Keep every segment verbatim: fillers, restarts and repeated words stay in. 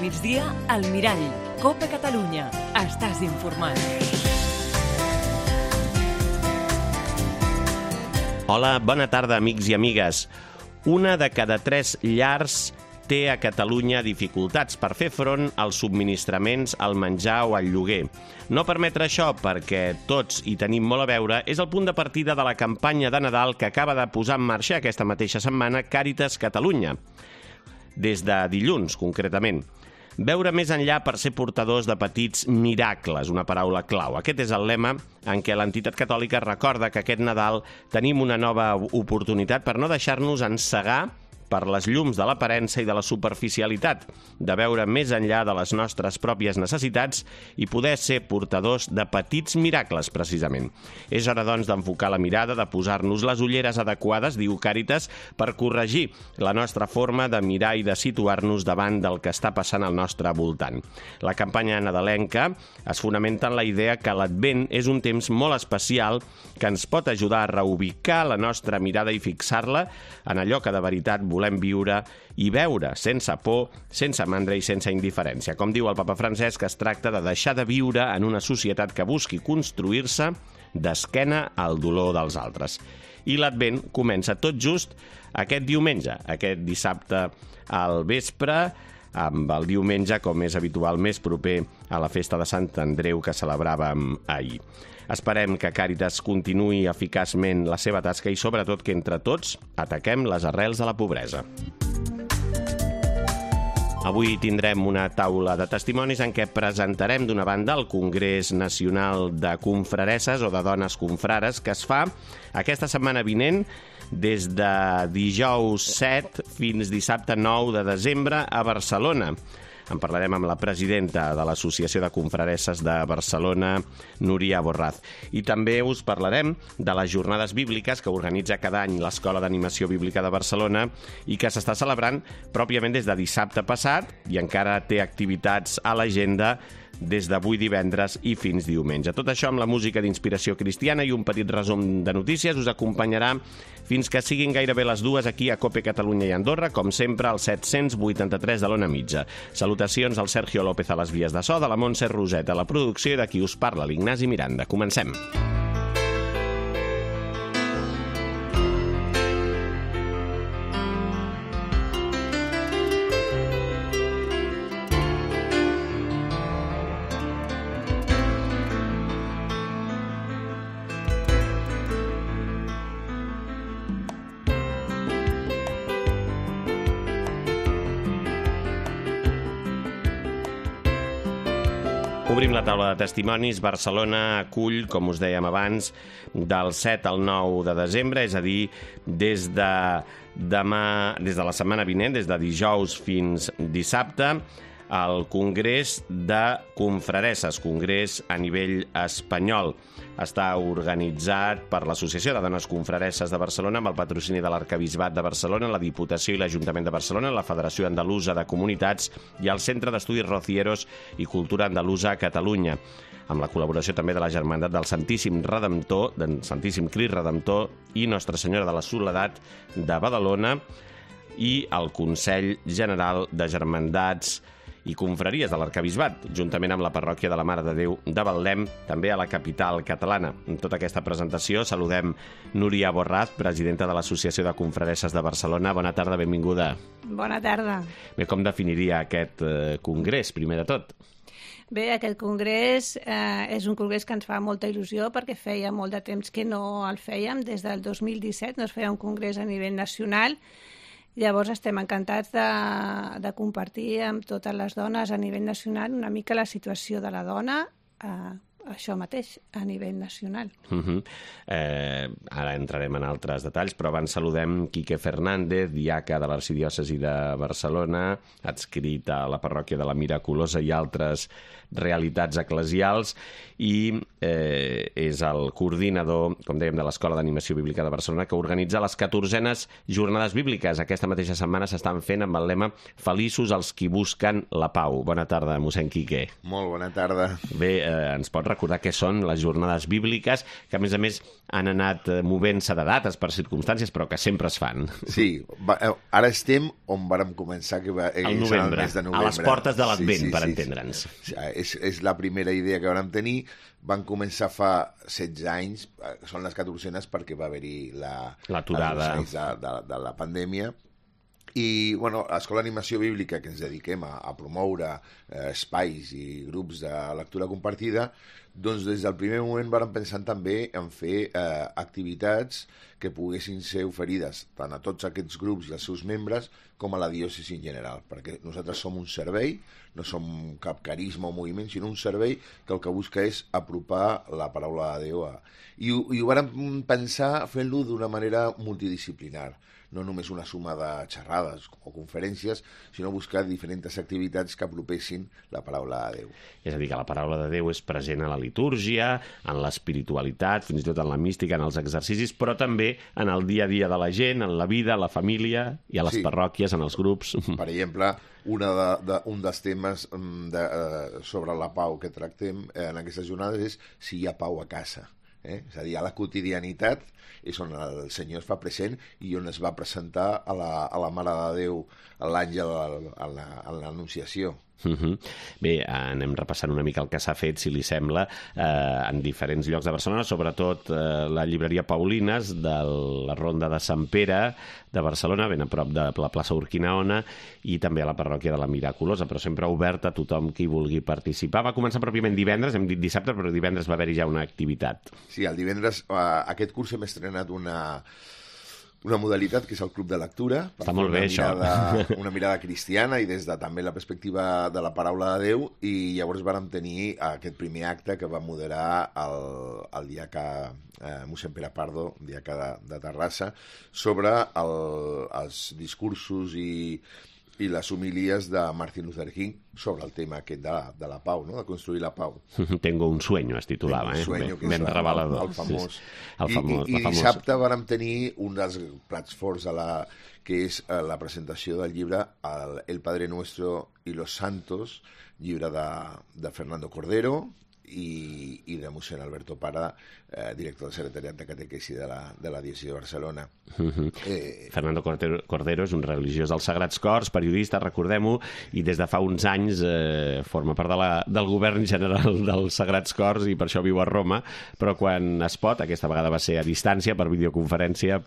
migdia, al Mirall. Copa Catalunya. Estàs informat. Hola, bona tarda, amics i amigues. Una de cada tres llars té a Catalunya dificultats per fer front als subministraments, al menjar o al lloguer. No permetre això, perquè tots hi tenim molt a veure, és el punt de partida de la campanya de Nadal que acaba de posar en marxa aquesta mateixa setmana Càritas Catalunya, des de dilluns, concretament. Veure més enllà per ser portadors de petits miracles, una paraula clau. Aquest és el lema en què l'entitat catòlica recorda que aquest Nadal tenim una nova oportunitat per no deixar-nos encegar per les llums de l'aparença i de la superficialitat, de veure més enllà de les nostres pròpies necessitats i poder ser portadors de petits miracles, precisament. És hora, doncs, d'enfocar la mirada, de posar-nos les ulleres adequades, diu Càritas, per corregir la nostra forma de mirar i de situar-nos davant del que està passant al nostre voltant. La campanya nadalenca es fonamenta en la idea que l'Advent és un temps molt especial que ens pot ajudar a reubicar la nostra mirada i fixar-la en allò que de veritat volem viure i veure sense por, sense mandra i sense indiferència. Com diu el papa Francesc, es tracta de deixar de viure en una societat que busqui construir-se d'esquena al dolor dels altres. I l'Advent comença tot just aquest diumenge, aquest dissabte al vespre, amb el diumenge, com és habitual, més proper a la festa de Sant Andreu que celebràvem ahir. Esperem que Càritas continuï eficaçment la seva tasca i, sobretot, que entre tots ataquem les arrels de la pobresa. Avui tindrem una taula de testimonis en què presentarem, d'una banda, el Congrés Nacional de Confraresses o de Dones Confrares, que es fa aquesta setmana vinent des de dijous set fins dissabte nou de desembre a Barcelona. En parlarem amb la presidenta de l'Associació de Confraresses de Barcelona, Núria Borraz. I també us parlarem de les jornades bíbliques que organitza cada any l'Escola d'Animació Bíblica de Barcelona i que s'està celebrant pròpiament des de dissabte passat i encara té activitats a l'agenda des d'avui divendres i fins diumenge. Tot això amb la música d'inspiració cristiana i un petit resum de notícies us acompanyarà fins que siguin gairebé les dues aquí a Copa Catalunya i Andorra, com sempre, al set-cents vuitanta-tres de l'Ona Mitja. Salutacions al Sergio López a les vies de so, de la Montse Roset a la producció i de qui us parla, l'Ignasi Miranda. Comencem. Obrim la taula de testimonis. Barcelona acull, com us dèiem abans, del set al nou de desembre, és a dir, des de demà, des de la setmana vinent, des de dijous fins dissabte, el Congrés de Confraresses, congrés a nivell espanyol. Està organitzat per l'Associació de Dones Confraresses de Barcelona amb el patrocini de l'Arquebisbat de Barcelona, la Diputació i l'Ajuntament de Barcelona, la Federació Andalusa de Comunitats i el Centre d'Estudis Rocieros i Cultura Andalusa a Catalunya, amb la col·laboració també de la Germandat del Santíssim Redemptor, del Santíssim Crist Redemptor i Nostra Senyora de la Soledat de Badalona i el Consell General de Germandats i confraries de l'Arquebisbat, juntament amb la parròquia de la Mare de Déu de Betlem, també a la capital catalana. En tota aquesta presentació saludem Núria Borraz, presidenta de l'Associació de Confraresses de Barcelona. Bona tarda, benvinguda. Bona tarda. Bé, com definiria aquest eh, congrés, primer de tot? Bé, aquest congrés eh, és un congrés que ens fa molta il·lusió perquè feia molt de temps que no el fèiem. Des del dos mil disset no es feia un congrés a nivell nacional. Llavors estem encantats de, de compartir amb totes les dones a nivell nacional una mica la situació de la dona, eh, això mateix, a nivell nacional. Uh-huh. eh, ara entrarem en altres detalls, però abans saludem Quique Fernández, diaca de l'Arxidiòcesi de Barcelona, adscrit a la parròquia de la Miraculosa i altres realitats eclesials, i eh, és el coordinador, com dèiem, de l'Escola d'Animació Bíblica de Barcelona, que organitza les catorzenes jornades bíbliques. Aquesta mateixa setmana s'estan fent amb el lema Feliços els qui busquen la pau. Bona tarda, mossèn Quique. Molt bona tarda. Bé, eh, ens pot recordar què són les jornades bíbliques, que a més a més han anat movent-se de dates per circumstàncies, però que sempre es fan. Sí, va, ara estem on vàrem començar, que va, el novembre, el mes de novembre, a les portes de l'Advent, sí, sí, per sí, entendre'ns. Sí. És, és la primera idea que vam tenir. Van començar fa setze anys, són les catorzenes perquè va haver-hi la, l'aturada de, de, de la pandèmia. I, bueno, a l'Escola d'Animació Bíblica, que ens dediquem a, a promoure eh, espais i grups de lectura compartida, doncs des del primer moment vam pensar també en fer eh, activitats que poguessin ser oferides tant a tots aquests grups i als seus membres com a la diòcesi en general, perquè nosaltres som un servei, no som cap carisma o moviment, sinó un servei que el que busca és apropar la paraula de Déu a... I, i ho vam pensar fent-lo d'una manera multidisciplinar, no només una suma de xerrades o conferències, sinó buscar diferents activitats que apropessin la paraula de Déu. És a dir, que la paraula de Déu és present a la litúrgia, en l'espiritualitat, fins i tot en la mística, en els exercicis, però també en el dia a dia de la gent, en la vida, a la família i a les sí. parròquies, en els grups. Per exemple, una de, de, un dels temes de, uh, sobre la pau que tractem en aquestes jornades és si hi ha pau a casa. Eh? És a dir, a la quotidianitat és on el Senyor es fa present i on es va presentar a la, a la Mare de Déu l'àngel a l'Anunciació. Uh-huh. Bé, anem repassant una mica el que s'ha fet, si li sembla, eh, en diferents llocs de Barcelona, sobretot eh, la llibreria Paulines de la Ronda de Sant Pere de Barcelona, ben a prop de la plaça Urquinaona, i també a la parròquia de la Miraculosa, però sempre obert a tothom qui vulgui participar. Va començar pròpiament divendres, hem dit dissabte, però divendres va haver-hi ja una activitat. Sí, el divendres, eh, aquest curs hem estrenat una... una modalitat que és el club de lectura. Està molt bé, una mirada, això. Una mirada cristiana i des de també la perspectiva de la paraula de Déu, i llavors vàrem tenir aquest primer acte que va moderar el, el diaca eh, mossèn Pere Pardo, diaca de, de Terrassa, sobre el, els discursos i, i les homilies de Martin Luther King sobre el tema aquest de la, de la pau, no? De construir la pau. Tengo un sueño, es titulava, eh? Sueño, ben, ben revelador. El, el famós. El famós, I, i, i famós. dissabte vàrem tenir un dels plats forts de la, que és eh, la presentació del llibre El, el Padre Nuestro y los Santos, llibre de, de Fernando Cordero i, i de mossèn Alberto Parra, eh, director del secretariat de catequesi de la, de la diòcesi de Barcelona. Uh-huh. eh... Fernando Cordero, Cordero és un religiós dels Sagrats Cors, periodista, recordem-ho, i des de fa uns anys eh, forma part de la, del govern general dels Sagrats Cors i per això viu a Roma, però quan es pot, aquesta vegada va ser a distància per videoconferència,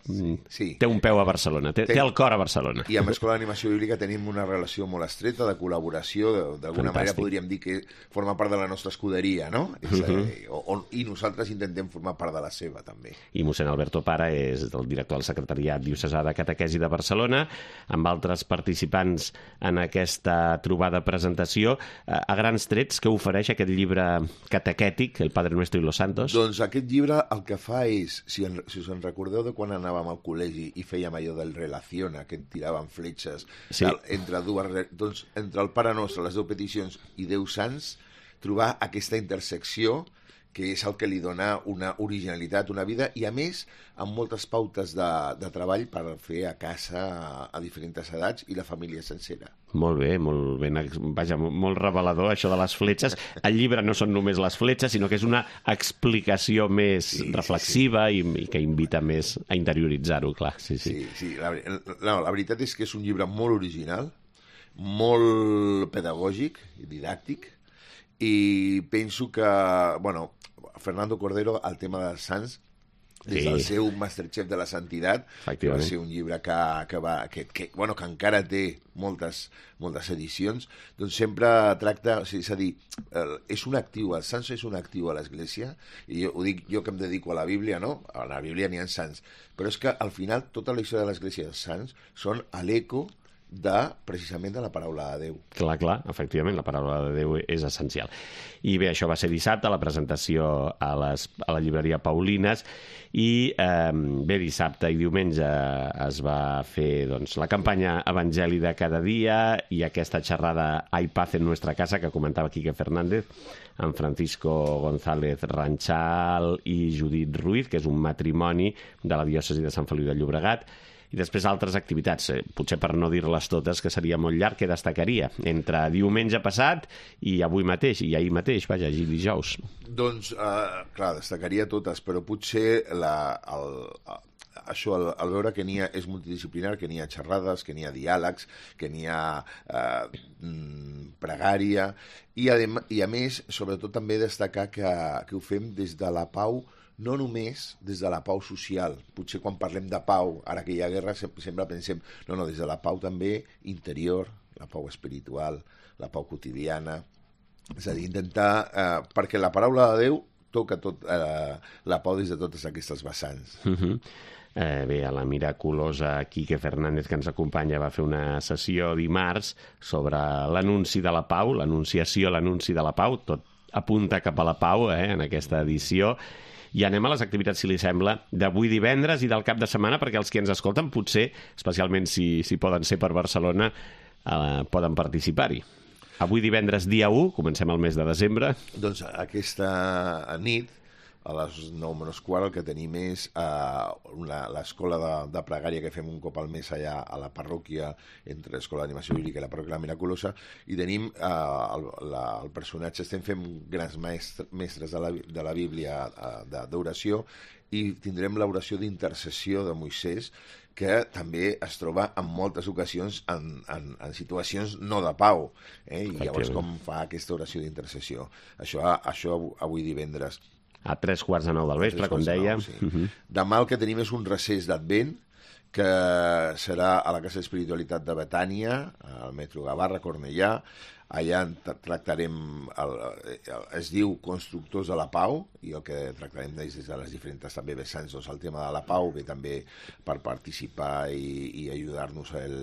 sí. Té un peu a Barcelona, té, té el cor a Barcelona. I amb l'Escola d'Animació Bíblica tenim una relació molt estreta de col·laboració, d'alguna manera podríem dir que forma part de la nostra escuderia, no? És, uh-huh. eh, on, i nosaltres intentem formar part de la seva, també. I mossèn Alberto Parra és el director del Secretariat Diocesà de Catequesi de Barcelona, amb altres participants en aquesta trobada presentació. A grans trets, què ofereix aquest llibre catequètic, El Padre Nuestro y los Santos? Doncs aquest llibre el que fa és, si, en, si us en recordeu de quan anàvem al col·legi i fèiem allò del relaciona, que tiraven fletxes, sí. del, entre, dues, doncs, entre el Pare Nostre, les deu peticions i Déu Sants, trobar aquesta intersecció que és el que li dona una originalitat, una vida, i a més amb moltes pautes de, de treball per fer a casa a, a diferents edats i la família sencera. Molt bé, molt ben, vaja, molt revelador això de les fletxes. El llibre no són només les fletxes, sinó que és una explicació més sí, reflexiva sí, sí. I, i que invita més a interioritzar-ho, clar. Sí, sí. sí, sí. La, no, la veritat és que és un llibre molt original, molt pedagògic i didàctic, i penso que, bueno, Fernando Cordero, el tema dels sants, des sí. del seu Masterchef de la Santitat, que va ser un llibre que, que, va, que, que, bueno, que encara té moltes, moltes edicions, doncs sempre tracta, o sigui, és a dir, és un actiu, el sants és un actiu a l'Església, i jo, ho dic jo que em dedico a la Bíblia, no? A la Bíblia n'hi ha sants, però és que al final tota la història de l'Església dels sants són a l'eco de, precisament, de la paraula de Déu. Clar, clar, efectivament, la paraula de Déu és essencial. I bé, això va ser dissabte, la presentació a, les, a la llibreria Paulines, i eh, bé, dissabte i diumenge es va fer doncs, la campanya Evangeli de cada dia i aquesta xerrada Hay paz en nuestra casa que comentava Quique Fernández, amb Francisco González Ranchal i Judit Ruiz, que és un matrimoni de la diòcesi de Sant Feliu de Llobregat. I després altres activitats, eh, potser per no dir-les totes, que seria molt llarg, que destacaria entre diumenge passat i avui mateix, i ahir mateix, vaja, ahir dijous. Doncs, eh, clar, destacaria totes, però potser la, el, això, el, el veure que n'hi ha, és multidisciplinar, que n'hi ha xerrades, que n'hi ha diàlegs, que n'hi ha eh, pregària, i a, i a més, sobretot també destacar que, que ho fem des de la pau, no només des de la pau social. Potser quan parlem de pau, ara que hi ha guerra, sempre pensem, no, no, des de la pau també interior, la pau espiritual, la pau quotidiana. És a dir, intentar... Eh, perquè la paraula de Déu toca tot, eh, la pau des de totes aquestes vessants. Uh-huh. Eh, bé, a la miraculosa Quique Fernández, que ens acompanya, va fer una sessió dimarts sobre l'anunci de la pau, l'anunciació, l'anunci de la pau, tot apunta cap a la pau, eh, en aquesta edició. I anem a les activitats, si li sembla, d'avui divendres i del cap de setmana, perquè els que ens escolten, potser, especialment si, si poden ser per Barcelona, eh, poden participar-hi. Avui divendres, dia u, comencem el mes de desembre. Doncs aquesta nit, a les nou menys quart, el que tenim és eh, l'escola de, de pregària que fem un cop al mes allà a la parròquia, entre l'Escola d'Animació Bíblica i la parròquia La Miraculosa, i tenim eh, el, la, el personatge, estem fent grans mestres, mestres de la, de la Bíblia eh, d'oració, i tindrem l'oració d'intercessió de Moisès, que també es troba en moltes ocasions en, en, en situacions no de pau, eh? I llavors com fa aquesta oració d'intercessió. Això, això avui divendres. A tres quarts de nou del vespre, com deia. Nou, sí. uh-huh. Demà el que tenim és un recés d'Advent, que serà a la Casa d'Espiritualitat de Betània, al metro Gavarra, Cornellà. Allà tractarem, el, el, es diu Constructors de la Pau, i el que tractarem des de les diferents també vessants, doncs el tema de la pau, ve també per participar i, i ajudar-nos el,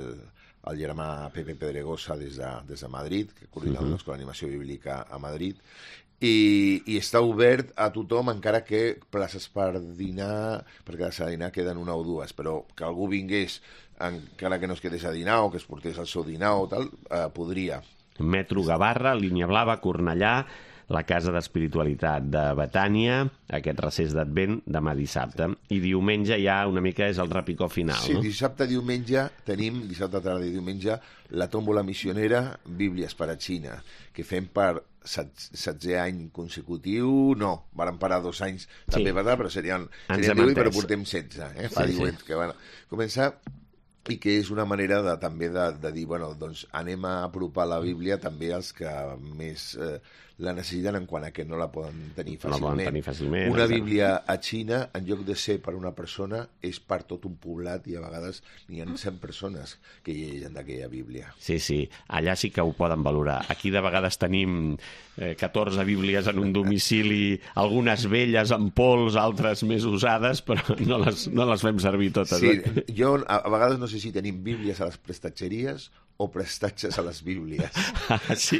el germà Pepe Pedregosa des de, des de Madrid, que coordina uh-huh. l'Escola d'Animació Bíblica a Madrid, I, i està obert a tothom, encara que places per dinar, perquè les a dinar queden una o dues, però que algú vingués, encara que no es quedés a dinar o que es portés el seu dinar o tal, eh, podria. Metro Gavarra, Línia Blava, Cornellà, la Casa d'Espiritualitat de Betània, aquest recés d'Advent demà dissabte. I diumenge ja una mica és el repicó final, sí, no? Sí, dissabte, diumenge, tenim, dissabte, tarda i diumenge, la tòmbola missionera Bíblies per a Xina, que fem per setzè any consecutiu, no, varen parar dos anys també, sí. Per però serien, serien divuit, però portem setze, eh? Fa sí, divuit, sí. Que van començar, i que és una manera de, també de, de dir, bueno, doncs anem a apropar la Bíblia també als que més eh, la necessiten en quant a que no la poden tenir fàcilment. No la poden tenir fàcilment. Una Bíblia a Xina, en lloc de ser per una persona, és per tot un poblat, i a vegades n'hi ha cent persones que llegeixen d'aquella Bíblia. Sí, sí, allà sí que ho poden valorar. Aquí de vegades tenim eh, catorze Bíblies en un domicili, algunes velles amb pols, altres més usades, però no les, no les fem servir totes. Sí, eh? jo a, a vegades no sé si tenim Bíblies a les prestatgeries o prestatges a les Bíblies. Ah, sí,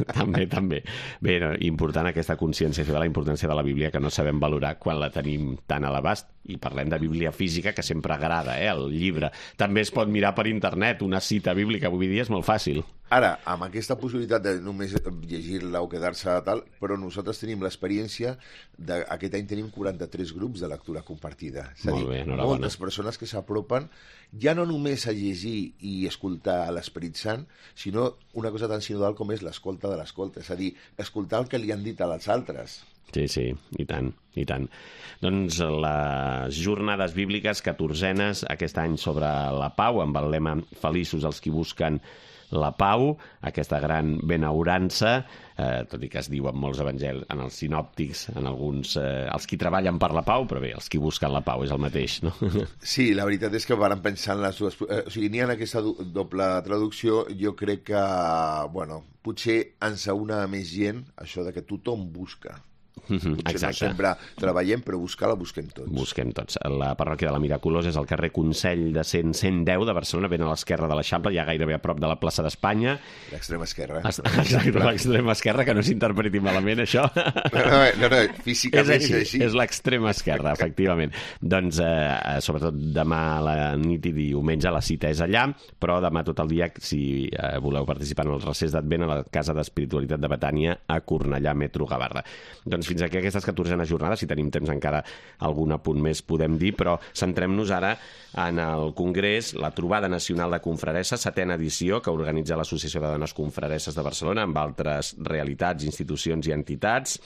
també, també. Bé, no, important aquesta consciència de la importància de la Bíblia, que no sabem valorar quan la tenim tan a l'abast. I parlem de Bíblia física, que sempre agrada, eh, el llibre. També es pot mirar per internet, una cita bíblica, avui dia és molt fàcil. Ara, amb aquesta possibilitat de només llegir-la o quedar-se a tal, però nosaltres tenim l'experiència d'aquest any tenim quaranta-tres grups de lectura compartida. És a dir, bé, moltes persones que s'apropen ja no només a llegir i escoltar a l'Esperit Sant, sinó una cosa tan sinodal com és l'escolta de l'escolta, és a dir, escoltar el que li han dit als altres. Sí, sí, i tant, i tant. Doncs les jornades bíbliques catorzenes aquest any sobre la pau, amb el lema Feliços els qui busquen la pau, aquesta gran benaurança, eh, tot i que es diu en molts evangelis, en els sinòptics, en alguns, eh, els qui treballen per la pau, però bé, els qui busquen la pau és el mateix, no? Sí, la veritat és que varen pensar en les dues... Eh, o sigui, n'hi ha aquesta doble traducció, jo crec que, bueno, potser ens aúna a més gent això de que tothom busca. Mm-hmm, Potser no sempre treballem, però buscar la busquem tots. Busquem tots. La parròquia de la Miraculosa és al carrer Consell de cent cent deu de Barcelona, ben a l'esquerra de l'Eixample, ja gairebé a prop de la plaça d'Espanya. L'extrema esquerra. Exacte, l'extrema esquerra, que no s'interpreti malament, això. No, no, no, no físicament és així. És, així. És l'extrema esquerra, efectivament. Doncs, eh, sobretot demà a la nit i diumenge la cita és allà, però demà tot el dia, si eh, voleu participar en el recés d'Advent, a la Casa d'Espiritualitat de Betània, a Cornellà, Metro Gavarda. Doncs fins aquí aquestes catorzenes jornades, si tenim temps encara algun apunt més podem dir, però centrem-nos ara en el Congrés, la Trobada Nacional de Confraresses, setena edició, que organitza l'Associació de Dones Confraresses de Barcelona, amb altres realitats, institucions i entitats.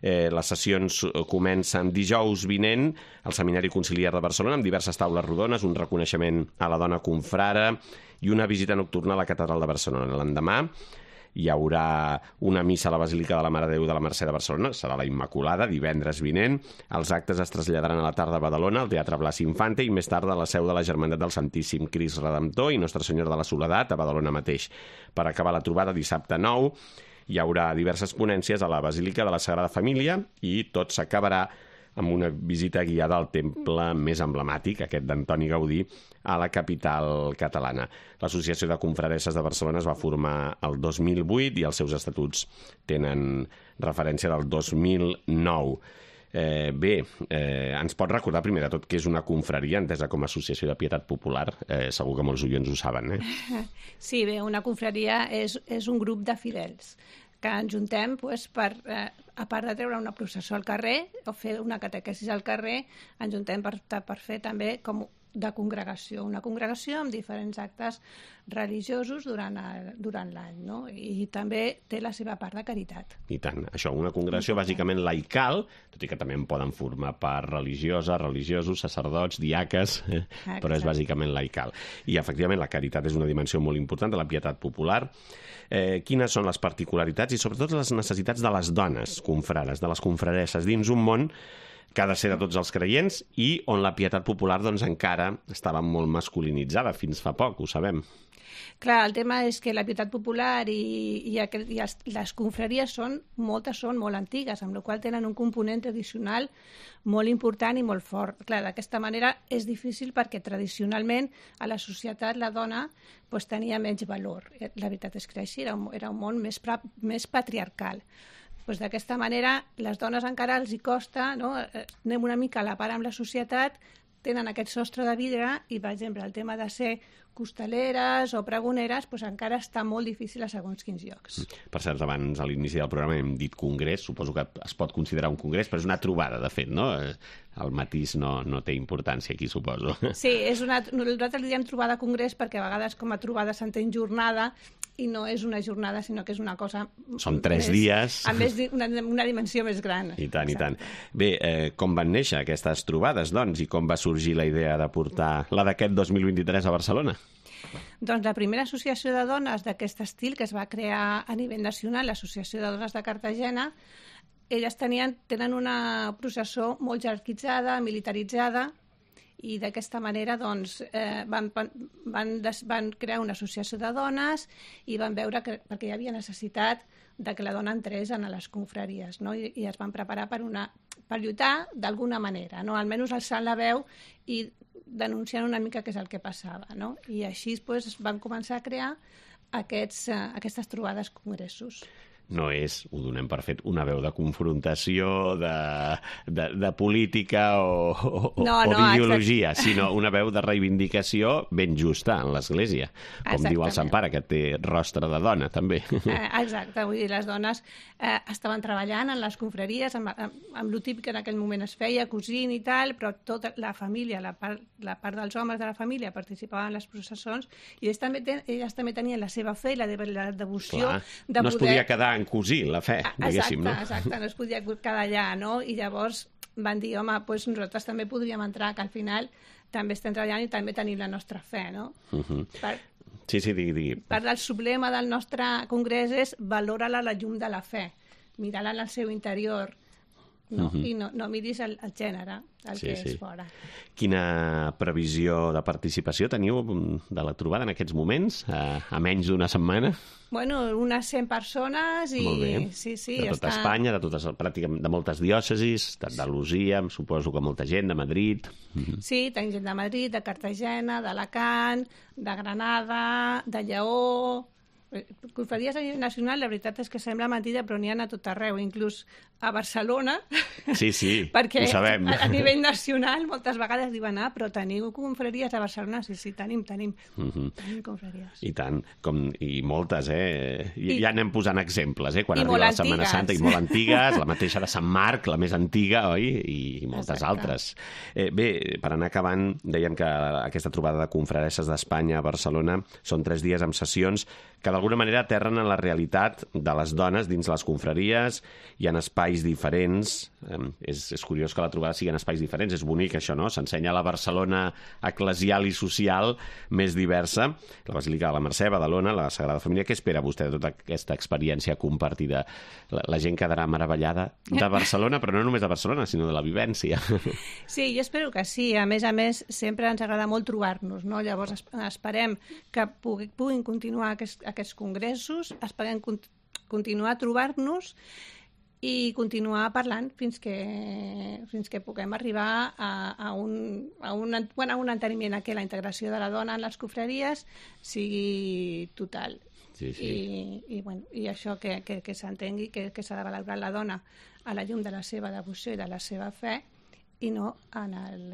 Eh, les sessions comencen dijous vinent al Seminari Conciliar de Barcelona, amb diverses taules rodones, un reconeixement a la dona confrare i una visita nocturna a la Catedral de Barcelona. L'endemà hi haurà una missa a la Basílica de la Mare de Déu de la Mercè de Barcelona, serà la Immaculada, divendres vinent. Els actes es traslladaran a la tarda a Badalona, al Teatre Blas Infante, i més tard a la seu de la Germandat del Santíssim Crist Redemptor i Nostra Senyora de la Soledat, a Badalona mateix. Per acabar la trobada, dissabte nou, hi haurà diverses ponències a la Basílica de la Sagrada Família i tot s'acabarà amb una visita guiada al temple més emblemàtic, aquest d'Antoni Gaudí, a la capital catalana. L'Associació de Confraresses de Barcelona es va formar el dos mil vuit i els seus estatuts tenen referència del dos mil nou. Eh, bé, eh, ens pot recordar primer de tot què és una confraria, entesa com a associació de pietat popular? Eh, segur que molts oients ho saben, eh? Sí, bé, una confraria és, és un grup de fidels que ens juntem pues, per, eh, a part de treure una processó al carrer o fer una catequesis al carrer, ens juntem per, per fer també com de congregació, una congregació amb diferents actes religiosos durant el, durant l'any, no? I també té la seva part de caritat. I tant, això, una congregació bàsicament laical, tot i que també en poden formar part religioses, religiosos, sacerdots, diaques, eh? Però és bàsicament laical. I efectivament la caritat és una dimensió molt important de la pietat popular. Eh, quines són les particularitats i sobretot les necessitats de les dones confrares, de les confraresses, dins un món que ha de ser de tots els creients i on la pietat popular doncs, encara estava molt masculinitzada fins fa poc, ho sabem. Clar, el tema és que la pietat popular i, i, aquel, i els, les confraries són, moltes són molt antigues, amb la qual tenen un component tradicional molt important i molt fort. Clar, d'aquesta manera és difícil perquè tradicionalment a la societat la dona pues, tenia menys valor. La veritat és que així era un, era un món més, pra, més patriarcal. Pues d'aquesta manera, les dones encara els hi costa, no? Anem una mica a la part amb la societat, tenen aquest sostre de vidre i, per exemple, el tema de ser costaleres o pregoneres pues encara està molt difícil a segons quins llocs. Per cert, abans, a l'inici del programa hem dit congrés, suposo que es pot considerar un congrés, però és una trobada, de fet, no? El matís no, no té importància aquí, suposo. Sí, és una, nosaltres li diem trobada congrés perquè a vegades com a trobada s'entén jornada i no és una jornada, sinó que és una cosa... Són tres més, dies. Amb més, una, una dimensió més gran. I tant, exacte. I tant. Bé, eh, com van néixer aquestes trobades, doncs, i com va sorgir la idea de portar la d'aquest dos mil vint-i-tres a Barcelona? Doncs la primera associació de dones d'aquest estil que es va crear a nivell nacional, l'Associació de Dones de Cartagena, elles tenien, tenen una processó molt jerarquitzada, militaritzada, i d'aquesta manera doncs, eh, van, van, des, van crear una associació de dones i van veure que perquè hi havia necessitat de que la dona entrés en les confraries, no? I, i es van preparar per, una, per lluitar d'alguna manera, no? Almenys alçant la veu i denunciant una mica què és el que passava, no? I així pues, van començar a crear aquests, eh, aquestes trobades congressos. No és, ho donem per fet, una veu de confrontació, de, de, de política o, o, no, no, o d'ideologia, exacte. Sinó una veu de reivindicació ben justa en l'Església. Com Exactament. Diu el Sant Pare, que té rostre de dona, també. Eh, exacte, vull dir, les dones eh, estaven treballant en les confraries, amb, amb, amb el típic que en aquell moment es feia, cosint i tal, però tota la família, la part, la part dels homes de la família participaven en les processons i elles també, ten, elles també tenien la seva fe i la, de, la devoció Clar, de no poder... es podia quedar en cosir la fe, diguéssim, exacte, no? Exacte, no es podia quedar allà, no? I llavors van dir, home, doncs nosaltres també podríem entrar, que al final també estem treballant i també tenim la nostra fe, no? Uh-huh. Per, sí, sí, digui, digui. Per el sublema del nostre congrés és valora-la la llum de la fe, mirar-la en el seu interior, no? Uh-huh. I no, no miris el, el gènere, el sí, que sí. és fora. Quina previsió de participació teniu de la trobada en aquests moments, a, a menys d'una setmana? Bueno, unes cent persones i... Molt bé. Sí, sí, de tota està... Espanya, de, totes, pràcticament, de moltes diòcesis, d'Andalusia, suposo que molta gent, de Madrid... Sí, tenim gent de Madrid, de Cartagena, d'Alacant, de Granada, de Lleó... Confraries a nivell nacional, la veritat és que sembla mentida, però n'hi ha a tot arreu, inclús a Barcelona. Sí, sí, perquè ho sabem. A, a nivell nacional moltes vegades diuen, ah, però teniu confraries a Barcelona? Sí, sí, tenim, tenim. Uh-huh. Tenim confraries. I tant, com, i moltes, eh? I, I ja anem posant exemples, eh? Quan arriba la Setmana Santa, i molt antigues, la mateixa de Sant Marc, la més antiga, oi? I, i moltes Exacte. altres. Eh, bé, per anar acabant, dèiem que aquesta trobada de confraresses d'Espanya a Barcelona són tres dies amb sessions que d'alguna manera aterren en la realitat de les dones dins les confraries i en espais diferents. Eh, és, és curiós que la trobada sigui en espais diferents, és bonic això, no? S'ensenya la Barcelona eclesial i social més diversa. La Basílica de la Mercè, Badalona, la Sagrada Família. Què espera vostè de tota aquesta experiència compartida? La, la gent quedarà meravellada de Barcelona, però no només de Barcelona, sinó de la vivència. Sí, jo espero que sí. A més a més, sempre ens agrada molt trobar-nos, no? Llavors esperem que pugui, puguin continuar aquest aquests congressos, esperem cont continuar a trobar-nos i continuar parlant fins que, fins que puguem arribar a, a, un, a, un, bueno, a un enteniment que la integració de la dona en les confraries sigui total. Sí, sí. I, i, bueno, i això que, que, que s'entengui que, que s'ha de valorar la dona a la llum de la seva devoció i de la seva fe i no en el...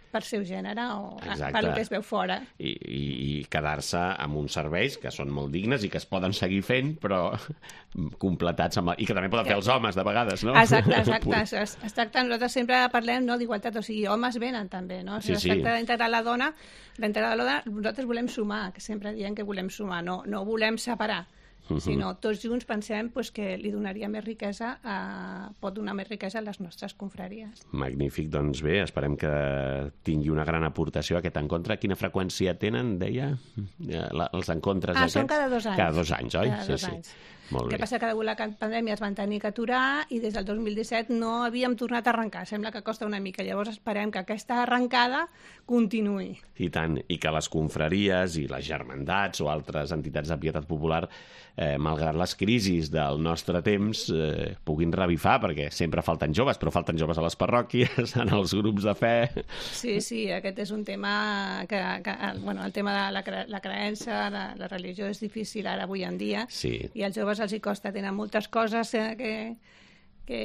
per seu gènere o Exacte. per el que es veu fora. I, i, i quedar-se amb uns serveis que són molt dignes i que es poden seguir fent, però completats amb... I que també poden fer els homes, de vegades, no? Exacte, exacte. Es, es tracta, nosaltres sempre parlem no, d'igualtat, o sigui, homes venen també, no? O sigui, sí, es tracta sí. d'integrar la dona, d'integrar la dona, nosaltres volem sumar, que sempre diem que volem sumar, no, no volem separar. Uh-huh. Sinó tots junts pensem pues, que li donaria més riquesa, a, pot donar més riquesa a les nostres confraries. Magnífic, doncs bé, esperem que tingui una gran aportació aquest encontre. Quina freqüència tenen, deia, la, els encontres ah, aquests? Són cada dos anys. Cada dos anys, oi? Cada sí, dos sí. anys. Molt el que bé. passa que degut a la pandèmia es van tenir que aturar i des del dos mil disset no havíem tornat a arrencar. Sembla que costa una mica. Llavors esperem que aquesta arrencada continuï. I tant, i que les confraries i les germandats o altres entitats de pietat popular, eh, malgrat les crisis del nostre temps, eh, puguin revifar, perquè sempre falten joves, però falten joves a les parròquies, en els grups de fe... Sí, sí, aquest és un tema que... que bueno, el tema de la, cre la creença, la, la religió és difícil ara avui en dia, sí. i als joves els hi costa, tenen moltes coses que, que,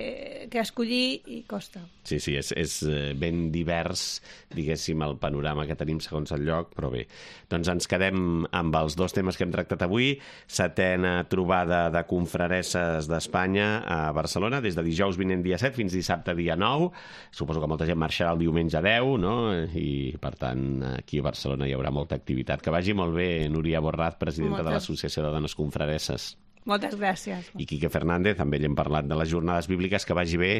que escollir i costa. Sí, sí, és, és ben divers, diguéssim, el panorama que tenim segons el lloc, però bé. Doncs ens quedem amb els dos temes que hem tractat avui. Setena trobada de confraresses d'Espanya a Barcelona, des de dijous vinent dia set fins dissabte dia nou. Suposo que molta gent marxarà el diumenge deu, no? I, per tant, aquí a Barcelona hi haurà molta activitat. Que vagi molt bé, Núria Borraz, presidenta Moltes. de l'Associació de Dones Confraresses. Moltes gràcies. I Quique Fernández, també ell hem parlat de les jornades bíbliques, que vagi bé,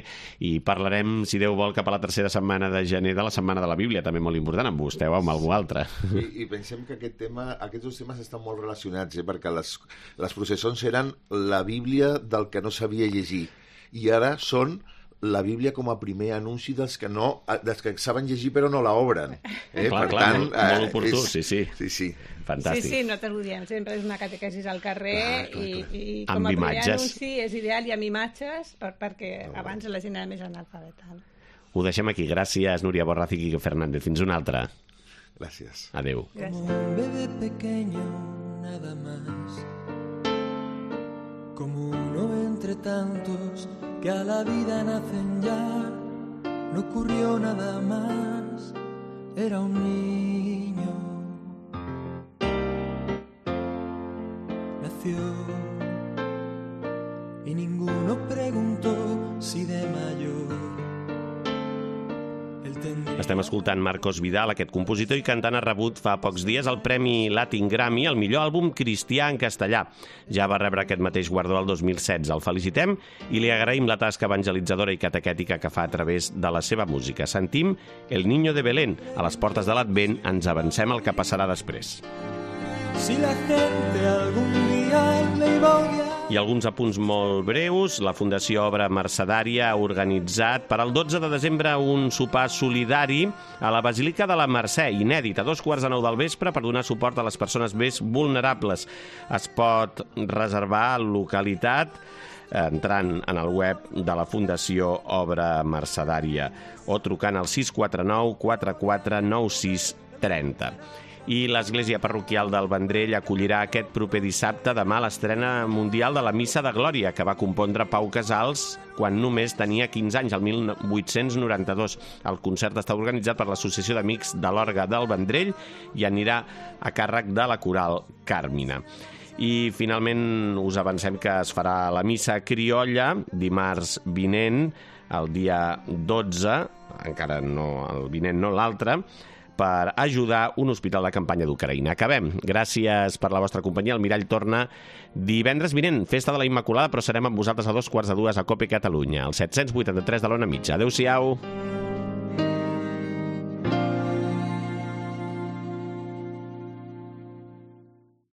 i parlarem, si Déu vol, cap a la tercera setmana de gener de la Setmana de la Bíblia, també molt important, amb vostè o amb algú altre. I, i pensem que aquest tema, aquests dos temes estan molt relacionats, eh? Perquè les, les processons eren la Bíblia del que no sabia llegir, i ara són la Bíblia com a primer anunci dels que no, dels que saben llegir però no la obren. Eh? Clar, per clar, tant, molt, molt oportú, és... sí, sí. Sí, sí. Fantàstic. Sí, sí, nosaltres ho diem, sempre és una catequesis al carrer ah, clar, clar. i, i com amb a primer imatges. anunci és ideal i amb imatges per, perquè oh, abans la gent era més analfabeta. No? Ho deixem aquí. Gràcies, Núria Borraz i Quique Fernández. Fins una altra. Gràcies. Adéu. Gràcies. Como un bebé pequeño, nada más. Como uno entre tantos que a la vida nacen ya. No ocurrió nada más. Era un niño. Nació y ninguno preguntó si de mayor él tendría... Estem escoltant Marcos Vidal, aquest compositor i cantant ha rebut fa pocs dies el Premi Latin Grammy al millor àlbum cristià en castellà. Ja va rebre aquest mateix guardó el dos mil setze. El felicitem i li agraïm la tasca evangelitzadora i catequètica que fa a través de la seva música. Sentim El Niño de Belén. A les portes de l'Advent ens avancem al que passarà després. si la gente algún día le iba a odiar. I alguns apunts molt breus. La Fundació Obra Mercedària ha organitzat per al dotze de desembre un sopar solidari a la Basílica de la Mercè, inèdit, a dos quarts de nou del vespre, per donar suport a les persones més vulnerables. Es pot reservar localitat entrant en el web de la Fundació Obra Mercedària o trucant al sis quatre nou quatre quatre nou sis tres zero. I l'Església Parroquial del Vendrell acollirà aquest proper dissabte demà l'estrena mundial de la Missa de Glòria, que va compondre Pau Casals quan només tenia quinze anys, el mil vuit-cents noranta-dos. El concert està organitzat per l'Associació d'Amics de l'Orgue del Vendrell i anirà a càrrec de la Coral Càrmina. I finalment us avancem que es farà la missa criolla dimarts vinent, el dia dotze, encara no el vinent, no l'altre, per ajudar un hospital de campanya d'Ucraïna. Acabem. Gràcies per la vostra companyia. El Mirall torna divendres vinent, festa de la Immaculada, però serem amb vosaltres a dos quarts de dues a Cope Catalunya, al set-cents vuitanta-tres de l'Ona Mitja. Adéu-siau.